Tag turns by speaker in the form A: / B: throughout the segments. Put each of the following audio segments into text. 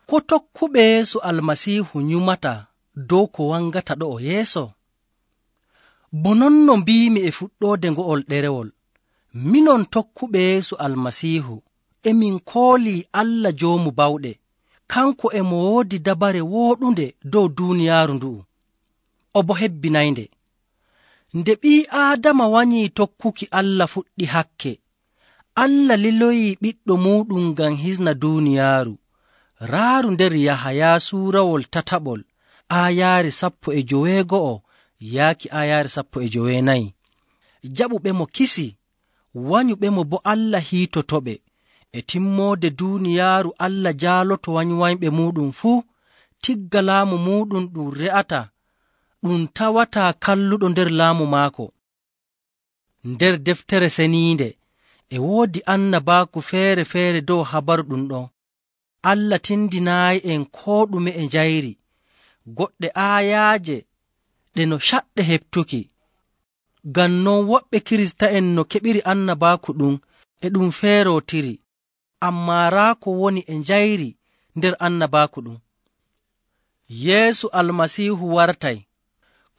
A: Ko tokkuɓe Yeesu Almasiihu nyumata dow ko wangata ɗo'o yeeso? Bo non no mbiimi e fuɗɗoode ngo'ol ɗerewol, minon tokkuɓe Yeesu Almasiihu emin koolii Allah Joomu Bawɗe. Kanko e mo woodi dabare wooɗunde dow duuniyaaru ndu'u, o boo hebbinaynde. Nde ɓii Aadama wanyii tokkuki Allah fuɗɗi hakke, Allah liloyii ɓiɗɗo muuɗum ngam hisna duuniyaaru. Raaru nder Yahaya suurawol tataɓol aayaare 19 yaaki aayaare 14. Jaɓuɓemo kisi, wanyuɓemo boo Allah hiitotoɓe. E timmoode duuniyaaru Allah jaaloto wanywanyɓe muuɗum fuu, tigga laamu muuɗum ɗum re'ata, ɗum tawataa kalluɗo nder laamu maako. Nder deftere seniinde e woodi annabaaku feere-feere dow habaru ɗum ɗon. Allah tindinaayi'en koo ɗume e njayri. Goɗɗe aayaaje ɗe no caɗɗe heɓtuki. Ngam non woɓɓe Kirista'en no keɓiri annabaaku ɗum e ɗum feerootiri, ammaa raa ko woni e njayri nder annabaaku ɗum. Yeesu Almasiihu wartay.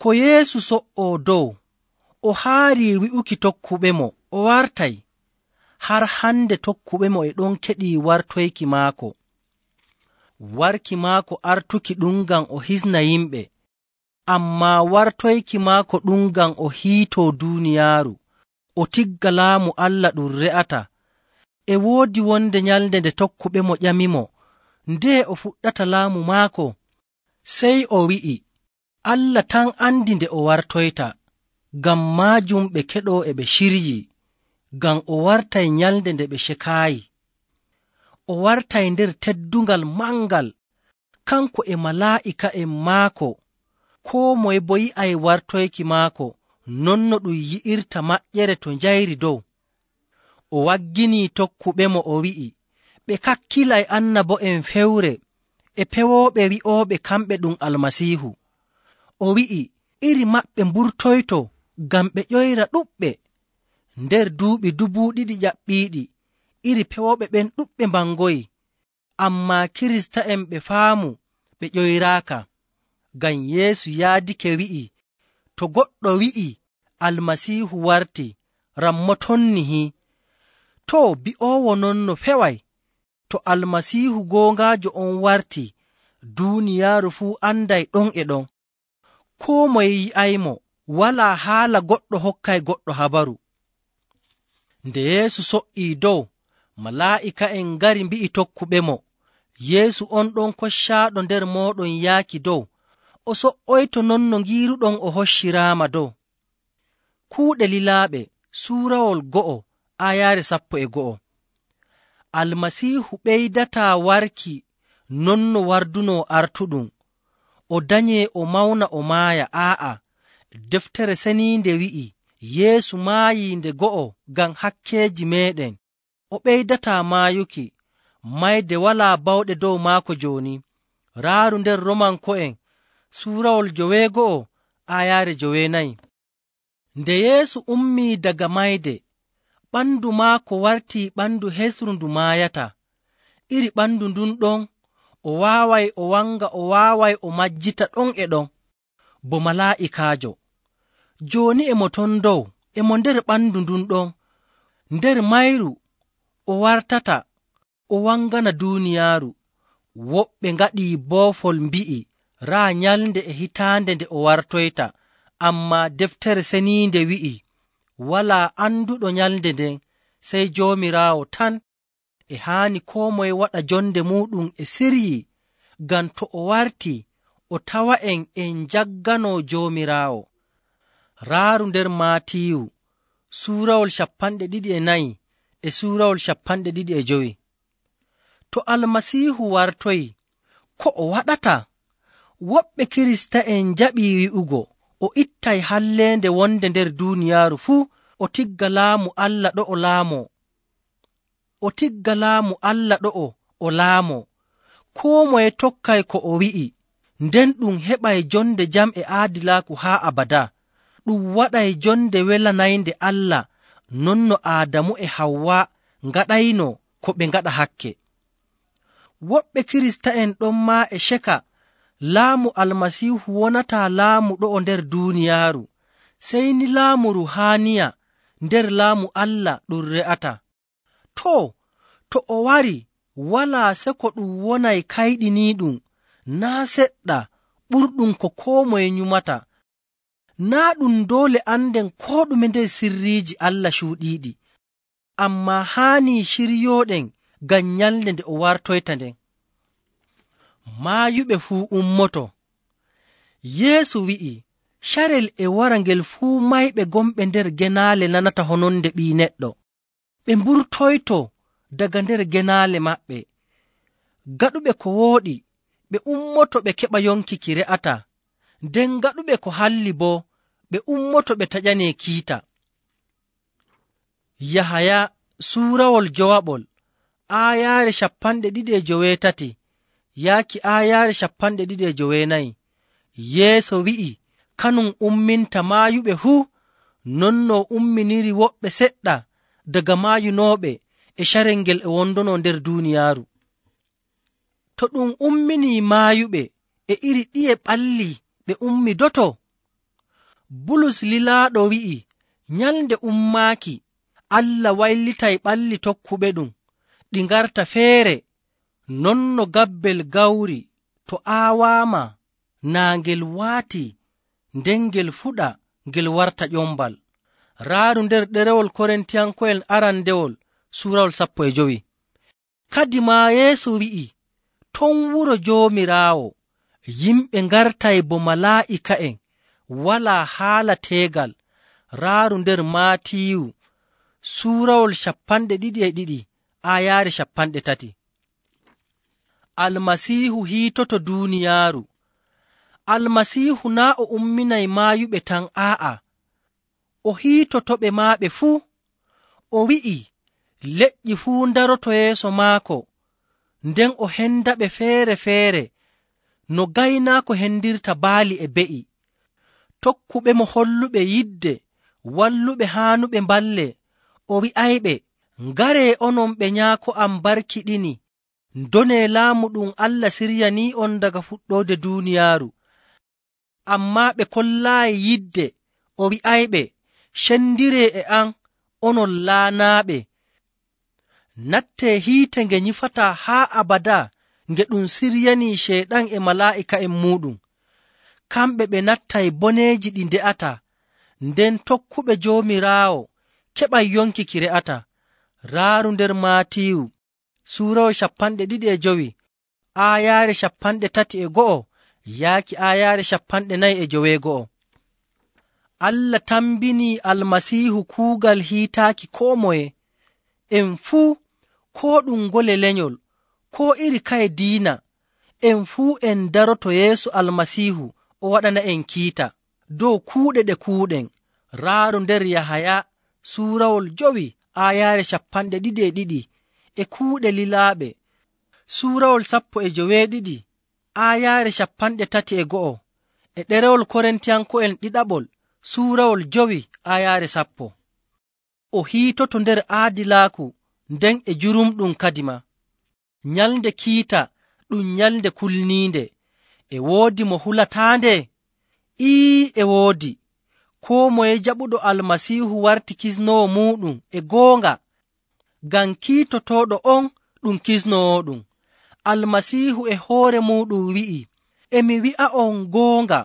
A: Ko Yeesu so''oo dow, o haarii wi'uki tokkuɓemo o wartay. Har hande tokkuɓemo e ɗon keɗii wartoyki maako. Warki maako artuki ɗum ngam o hisna yimɓe, ammaa wartoyki maako ɗum ngam o hiitoo duuniyaaru, o tigga laamu Allah ɗum re'ata. E woodi wonde nyalnde nde tokkuɓemo ƴamimo ndee o fuɗɗata laamu maako. Sey o wi'i, Allah tan andi nde o wartoyta. Ngam maajum ɓe keɗoo e ɓe ciryii, ngam o wartay nyalnde nde ɓe cekaayi. O wartay nder teddungal mangal, kanko e malaa'ika'en maako. Koo moye boo yi'ay wartoyki maako, non no ɗum yi'irta maƴƴere to njayri dow. O wagginii tokkuɓemo o wi'i, ɓe kakkilay annabo'en fewre e pewooɓe wi'ooɓe kamɓe ɗum Almasiihu. O wi'i iri maɓɓe mburtoyto ngam ɓe ƴoyra ɗuɓɓe. Nder duuɓi 2,000 ƴaɓɓiiɗi, iri pewooɓe ɓen ɗuɓɓe mbangoyi, ammaa Kirista'en ɓe faamu ɓe ƴoyraaka. Ngam Yeesu yaadike wi'i, to goɗɗo wi'i Almasiihu warti, rammotonnihii. Too, bi'oowo non no feway. To Almasiihu goongaajo on warti, duuniyaaru fuu anday ɗon e ɗon. Koo moye yi'aymo, walaa haala goɗɗo hokkay goɗɗo habaru. Nde Yeesu so''ii dow, malaa'ika'en ngari mbi'i tokkuɓemo, Yeesu on ɗon koccaaɗo nder mooɗon yaaki dow, o so''oyto non no ngiiruɗon o hocciraama dow. Kuuɗe lilaaɓe suurawol 1 aayaare 11. Almasiihu ɓeydataa warki non no wardunoo artuɗum, o danyee o mawna o maaya. Deftere seniinde wi'i Yeesu maayii nde 1 ngam hakkeeji meeɗen. O ɓeydataa maayuki, mayde walaa bawɗe dow maako jooni. Raaru nder Romanko'en suurawol 9 aayaare 9. Nde Yeesu ummii daga mayde, ɓandu maako wartii ɓandu hesru ndu maayata. Iri ɓandu ndun ɗon o waaway o wanga, o waaway o majjita ɗon e ɗon bo malaa'ikaajo. Jooni e mo ton dow, e mo nder ɓandu ndun ɗon. Nder mayru o wartata o wangana duuniyaaru. Woɓɓe ngaɗii boofol mbi'i raa nyalnde e hitaande nde o wartoyta, ammaa deftere seniinde wi'i walaa anduɗo nyalnde nden sey Joomiraawo tan. E haani koo moye waɗa jonde muuɗum e siryii, ngam to o wartii o tawa'en en njagganoo Joomiraawo. Raaru nder Maatiyu suurawol 24 e suurawol 25. To Almasiihu wartoyi, ko o waɗata? Woɓɓe Kirista'en njaɓii wi'ugo o ittay halleende wonde nder duuniyaaru fuu, o tigga laamu Allah ɗo o laamoo. O tigga laamu Allah ɗo'o o laamoo. Koo moye tokkay ko o wi'i, nden ɗum heɓay jonde jam e aadilaaku haa abada. Ɗum waɗay jonde welanaynde Allah, non no Aadamu e Hawwa ngaɗayno ko ɓe ngaɗa hakke. woɓɓe kirista'en ɗon maa e ceka laamu almasiihu wonataa laamu ɗo'o nder duuniyaaru, sey ni laamu ruhaaniya nder laamu Allah ɗum re'ata. To o wari walaa seko ɗum wonay kayɗiniiɗum naa' seɗɗa ɓurɗum ko koo moye nyumata. Naa' ɗum doole anden koo ɗume nder sirriiji Allah cuuɗiiɗi, ammaa haanii ciryooɗen ngam nyalnde nde o wartoyta nden. Maayuɓe fuu ummoto. Yeesu wi'i, carel e wara ngel fuu mayɓe gonɓe nder genaale nanata hononde Ɓii Neɗɗo, ɓe mburtoyto daga nder genaale maɓɓe. Gaɗuɓe ko wooɗi ɓe ummoto ɓe keɓa yonki ki re'ata, nden gaɗuɓe ko halli boo ɓe ummoto ɓe taƴanee kiita. Yahaya suurawol jowaɓol aayaare 2:17 yaaki aayaare 2:24. Yeesu wi'i kanum umminta maayuɓe fuu, non no umminiri woɓɓe seɗɗa daga maayunooɓe e carel ngel e wondono nder duuniyaaru. To ɗum umminii maayuɓe e iri ɗiye ɓalli ɓe ummidoto? Bulus lilaaɗo wi'i nyalnde ummaaki Allah waylitay ɓalli tokkuɓe ɗum ɗi ngarta feere, non no gabbel gawri to aawaama naa ngel waati nden ngel fuɗa ngel warta ƴombal. Raaru nder ɗerewol Korintiyanko'en arandewol suurawol 15. Kadi maa Yeesu wi'i ton wuro Joomiraawo yimɓe ngartay bo malaa'ika'en walaa haala teegal. Raaru nder Maatiyu suurawol 22 aayaare 30. Almasiihu hiitoto duuniyaaru. Almasiihu naa' o umminay maayuɓe tan, aa'a, o hiitotoɓe maaɓe fuu. O wi'i leƴƴi fuu ndaroto yeeso maako, nden o hendaɓe feere-feere no gaynaako hendirta baali e be'i. Tokkuɓe mo holluɓe yidde walluɓe haanuɓe mballe, o wi'ayɓe, ngaree onon ɓe nyaako am barkiɗini, ndonee laamu ɗum Allah siryanii'on daga fuɗɗoode duuniyaaru. Ammaa ɓe kollaayi yidde, o wi'ayɓe, cendiree e am onon laanaaɓe, nattee hiite nge nyifataa haa abadaa nge ɗum siryanii Ceyɗan e malaa'ika'en muuɗum. Kamɓe ɓe nattay boneeji ɗi nde'ataa, nden tokkuɓe Joomiraawo keɓay yonki ki re'ata. Raaru nder Maatiyu suurawol 25 aayaare 31 yaaki aayaare 49. Allah tambinii Almasiihu kuugal hiitaaki koo moye. En fuu, koo ɗum ngole lenyol, koo iri kaye diina, en fuu en daroto yeeso Almasiihu o waɗana en kiita dow kuuɗe ɗe kuuɗen. Raaru nder Yahaya suurawol 5 aayaare 22 e kuuɗe lilaaɓe, suurawol 12 aayaare 31 e ɗerewol Korintiyanko'en ɗiɗaɓol suurawol 5 aayaare 10. O hiitoto nder aadilaaku nden e jurumɗum kadima. Nyalnde kiita ɗum nyalnde kulniinde. E woodi mo hulataande? E woodi. Koo moye jaɓuɗo Almasiihu warti kisnoowo muuɗum e goonga, ngam kiitotooɗo on ɗum kisnoowoɗum. Almasiihu e hoore muuɗum wi'i, emi wi'a'on goonga,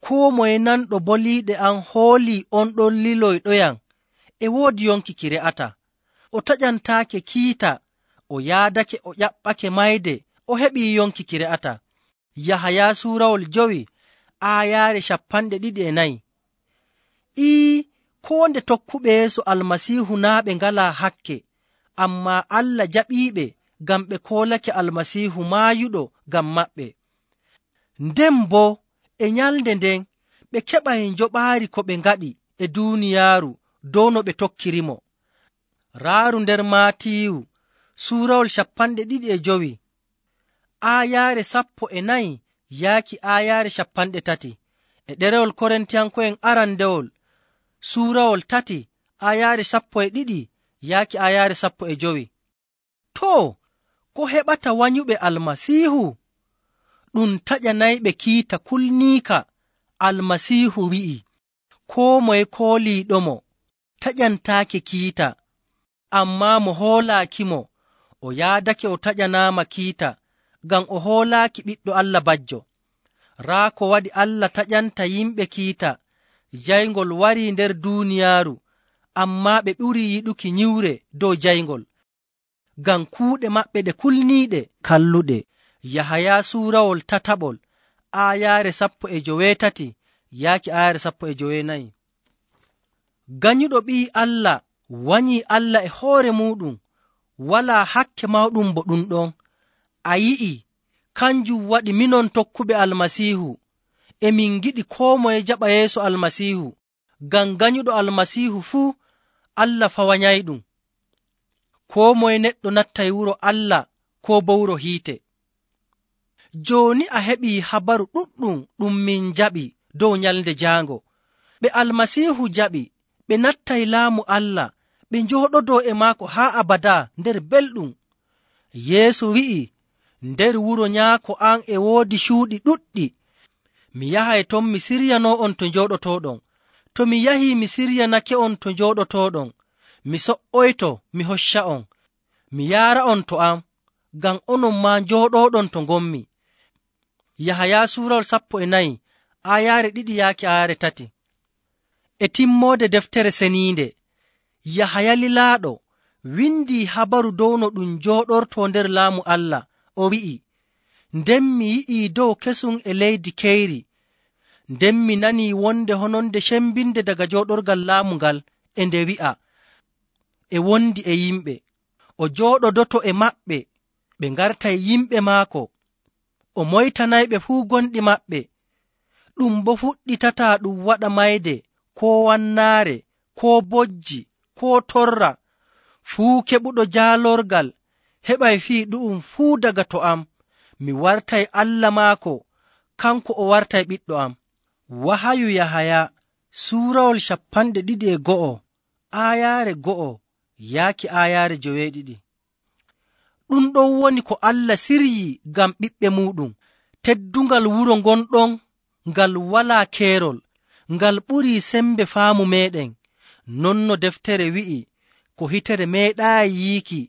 A: koo moye nanɗo boliiɗe am hoolii on ɗon liloyɗoyam e woodi yonki ki re'ata. O taƴantaake kiita, o yaadake o ƴaɓɓake mayde, o heɓii yonki ki re'ata. Yahaya suurawol 5 aayaare 24. Koo nde tokkuɓe yeeso Almasiihu naa' ɓe ngalaa hakke, ammaa Allah jaɓiiɓe ngam ɓe koolake Almasiihu maayuɗo ngam maɓɓe. Nden boo e nyalnde nden ɓe keɓay njoɓaari ko ɓe ngaɗi e duuniyaaru dow no ɓe tokkirimo. Raaru nder Maatiyu suurawol 25 aayaare 14 yaaki aayaare 30 e ɗerewol Korintiyanko'en arandewol suurawol 3 aayaare 12 yaaki aayaare 15. ko heɓata wanyuɓe almasiihu? Ɗum taƴanayɓe kiita kulniika. Almasiihu wi'i, koo moye kooliiɗomo taƴantaake kiita, ammaa mo hoolaakimo o yaadake o taƴanaama kiita, ngam o hoolaaki Ɓiɗɗo Allah bajjo. Raa ko waɗi Allah taƴanta yimɓe kiita, jayngol warii nder duuniyaaru, ammaa ɓe ɓurii yiɗuki nyiwre dow jayngol, ngam kuuɗe maɓɓe ɗe kulniiɗe kalluɗe. Yahaya suurawol tataɓol aayaare 17 yaaki aayaare 14. Ganyuɗo ɓii Allah wanyii Allah e hoore muuɗum, walaa hakke mawɗum bo ɗum ɗon. A yi'i, kanjum waɗi minon tokkuɓe almasiihu emin ngiɗi koo moye jaɓa yeeso almasiihu, ngam ganyuɗo almasiihu fuu Allah fawanyayɗum. Koo moye neɗɗo nattay wuro Allah koo bo wuro hiite. Jooni a heɓii habaru ɗuɗɗum ɗum min jaɓi dow nyalnde jaango. Ɓe almasiihu jaɓi, ɓe nattay laamu Allah, ɓe njooɗodoo e maako haa abadaa nder belɗum. Yeesu wi'i, nder wuro nyaako am e woodi cuuɗi ɗuɗɗi. Mi yahay ton mi siryanoo'on to njooɗotooɗon. To mi yahii mi siryanake'on to njooɗotooɗon, mi so''oyto mi hocca'on, mi yaara'on to am, ngam onon maa njooɗooɗon to ngonmi. Yahaya suurawol 14 aayaare 2 yaaki aayaare 3. E timmoode deftere seniinde, Yahaya lilaaɗo windii habaru dow no ɗum njooɗortoo nder laamu Allah. O wi'i, nden mi yi'ii dow kesum e leydi keyri, nden mi nanii wonde hononde cembinde daga jooɗorgal laamu ngal, e nde wi'a, e wondi e yimɓe. O jooɗodoto e maɓɓe, ɓe ngartay yimɓe maako. O moytanayɓe fuu gonɗi maɓɓe. Ɗum bo fuɗɗitataa ɗum waɗa mayde, koo wannaare, koo bojji, koo torra. Fuu keɓuɗo jaalorgal heɓay fii ɗu'um fuu daga to am. Mi wartay Allah maako, kanko o wartay ɓiɗɗo am. Wahayu Yahaya suurawol 21 aayaare 1 yaaki aayaare 9. Ɗum ɗon woni ko Allah siryii ngam ɓiɓɓe muuɗum, teddungal wuro ngonɗon ngal walaa keerol, ngal ɓurii sembe faamu meeɗen. Non no deftere wi'i, ko hitere meeɗaayi yiiki,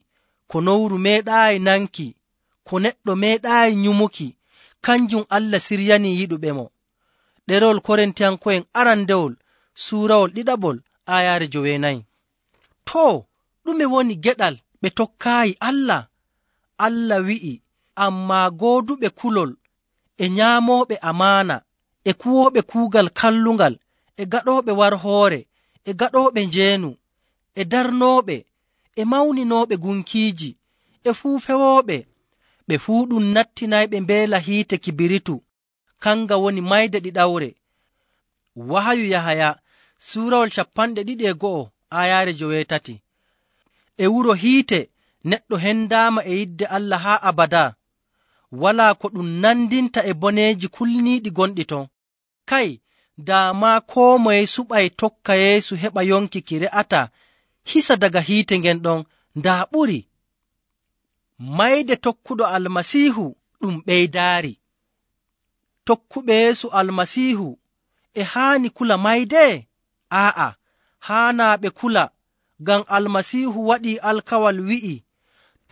A: ko nowru meeɗaayi nanki, ko neɗɗo meeɗaayi nyumuki, kanjum Allah siryanii yiɗuɓemo. Ɗerewol Korintiyanko'en arandewol suurawol 2 aayaare 9. Too, ɗume woni geɗal ɓe tokkaayi Allah? Allah wi'i, ammaa gooduɓe kulol, e nyaamooɓe amaana, e kuwooɓe kuugal kallungal, e gaɗooɓe warhoore, e gaɗooɓe njeenu, e darnooɓe, e mawninooɓe gunkiiji, e fuu fewooɓe, ɓe fuu ɗum nattinayɓe mbeela hiite kibiritu, kanga woni mayde ɗiɗawre. Wahayu Yahaya suurawol 21 aayaare 9. E wuro hiite neɗɗo hendaama e yidde Allah haa abadaa, walaa ko ɗum nandinta e boneeji kulniiɗi gonɗi ton. Kay, daamaa koo moye suɓay tokka Yeesu heɓa yonki ki re'ata hisa daga hiite ngen ɗon, ndaa ɓuri. Mayde tokkuɗo almasiihu ɗum ɓeydaari. Tokkuɓe Yeesu almasiihu e haani kula mayde? Aa'a, haanaa ɓe kula, ngam almasiihu waɗii alkawal wi'i,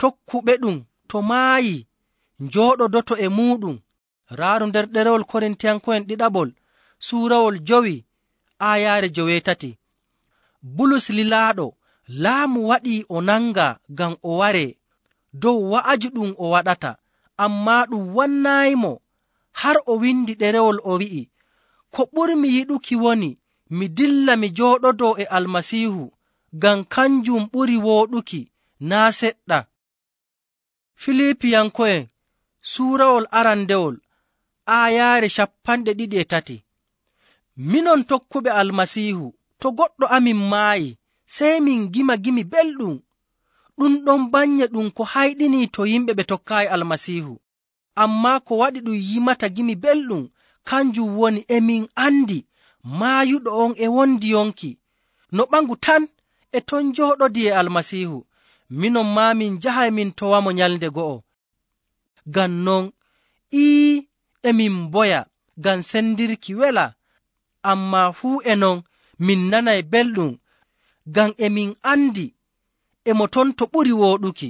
A: tokkuɓe ɗum to maayi njooɗodoto e muuɗum. Raaru nder ɗerewol Korintiyanko'en ɗiɗaɓol suurawol 5 aayaare 9. Bulus lilaaɗo laamu waɗii o nanga ngam o waree dow wa'aju ɗum o waɗata, ammaa ɗum wannaayimo. Har o windi ɗerewol o wi'i, ko ɓurmi yiɗuki woni mi dilla mi jooɗodoo e almasiihu, ngam kanjum ɓuri wooɗuki naa seɗɗa. Filipiyanko'en suurawol arandewol aayaare 23. Minon tokkuɓe almasiihu, to goɗɗo amin maayi, sey min gima gimi belɗum. Ɗum ɗon bannye ɗum ko hayɗinii to yimɓe ɓe tokkaayi almasiihu. Ammaa ko waɗi ɗum yimata gimi belɗum, kanjum woni emin andi maayuɗo on e wondi yonki, no ɓangu tan e ton jooɗodii e almasiihu. minon maa min njahay min towamo nyalnde go'o. Ngam non emin mboya ngam sendirki wela, ammaa fuu e non min nanay belɗum, ngam emin andi emo ton to ɓuri wooɗuki.